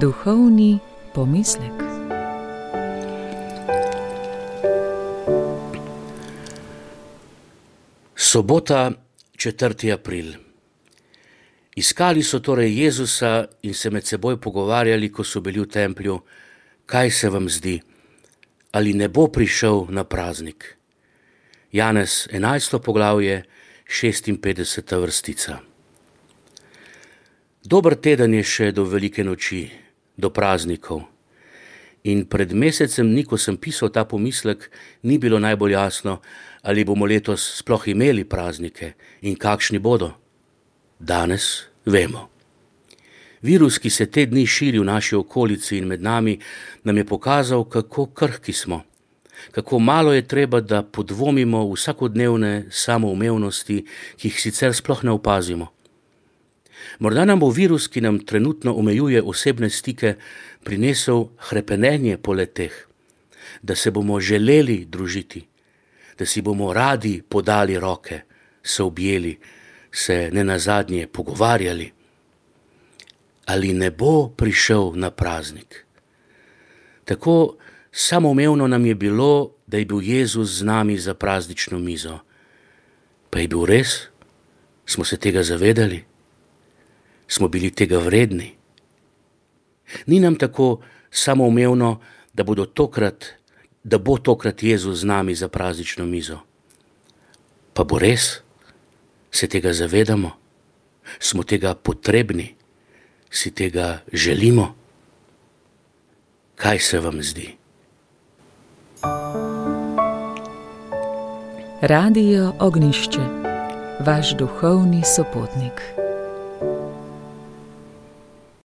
Duhovni pomislek. Sobota, 4. april. Iskali so torej Jezusa in se med seboj pogovarjali, ko so bili v templju, kaj se vam zdi, ali ne bo prišel na praznik. Janez 11. poglavje, 56. vrstica. Dober teden je še do velike noči, do praznikov. In pred mesecem dni, ko sem pisal ta pomislek, ni bilo najbolj jasno, ali bomo letos sploh imeli praznike in kakšni bodo. Danes vemo. Virus, ki se te dni širi v naši okolici in med nami, nam je pokazal, kako krhki smo, kako malo je treba, da podvomimo v vsakodnevne samoumevnosti, ki jih sicer sploh ne opazimo. Morda nam bo virus, ki nam trenutno omejuje osebne stike, prinesel hrepenenje po leteh, da se bomo želeli družiti, da si bomo radi podali roke, se objeli, se nenazadnje pogovarjali. Ali ne bo prišel na praznik? Tako samoumevno nam je bilo, da je bil Jezus z nami za praznično mizo. Pa je bil res? Smo se tega zavedali? Smo bili tega vredni? Ni nam tako samoumevno, da bo tokrat Jezus z nami za praznično mizo. Pa bo res? Se tega zavedamo? Smo tega potrebni? Si tega želimo? Kaj se vam zdi? Radio Ognjišče, vaš duhovni sopotnik.